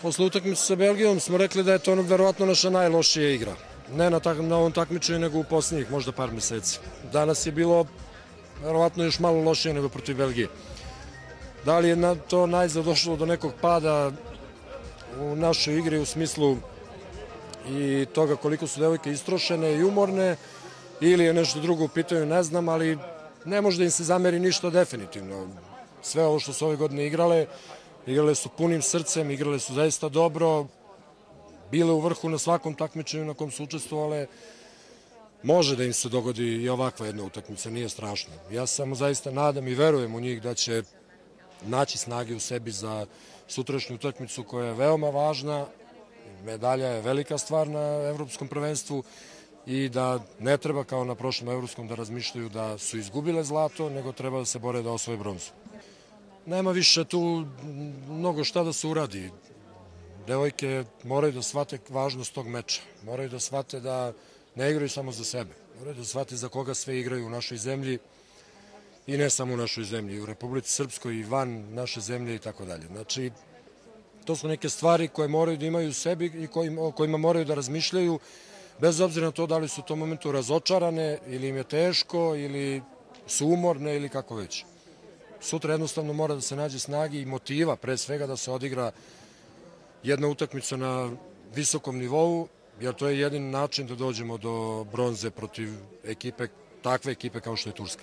Posle utakmice sa Belgijom smo rekli da je to verovatno naša najlošija igra. Ne na ovom takmičenju, nego u posljednjih možda par meseci. Danas je bilo verovatno još malo lošije nego protiv Belgije. Da li je to najzad došlo do nekog pada u našoj igri u smislu i toga koliko su devojke istrošene i umorne, ili je nešto drugo u pitanju, ne znam, ali ne može da im se zameri ništa definitivno. Sve ovo što su ove godine igrale su punim srcem, igrale su zaista dobro, bile u vrhu na svakom takmičenju na kom su učestvovale. Može da im se dogodi i ovakva jedna utakmica, nije strašno. Ja samo zaista nadam i verujem u njih da će naći snage u sebi za sutrašnju utakmicu koja je veoma važna. Medalja je velika stvar na evropskom prvenstvu i da ne treba kao na prošlom evropskom da razmišljaju da su izgubile zlato, nego treba da se bore da osvoje bronzu. Nema više tu mnogo šta da se uradi. Devojke moraju da shvate važnost tog meča. Moraju da shvate da ne igraju samo za sebe. Moraju da shvate za koga sve igraju u našoj zemlji i ne samo u našoj zemlji, u Republici Srpskoj i van naše zemlje i tako dalje. Znači, to su neke stvari koje moraju da imaju u sebi i o kojima moraju da razmišljaju, bez obzira na to da li su u tom momentu razočarane ili im je teško ili su umorne ili kako već. Sutra jednostavno mora da se nađe snagi i motiva, pre svega da se odigra jedna utakmica na visokom nivou, jer to je jedini način da dođemo do bronze protiv takve ekipe kao što je Turska.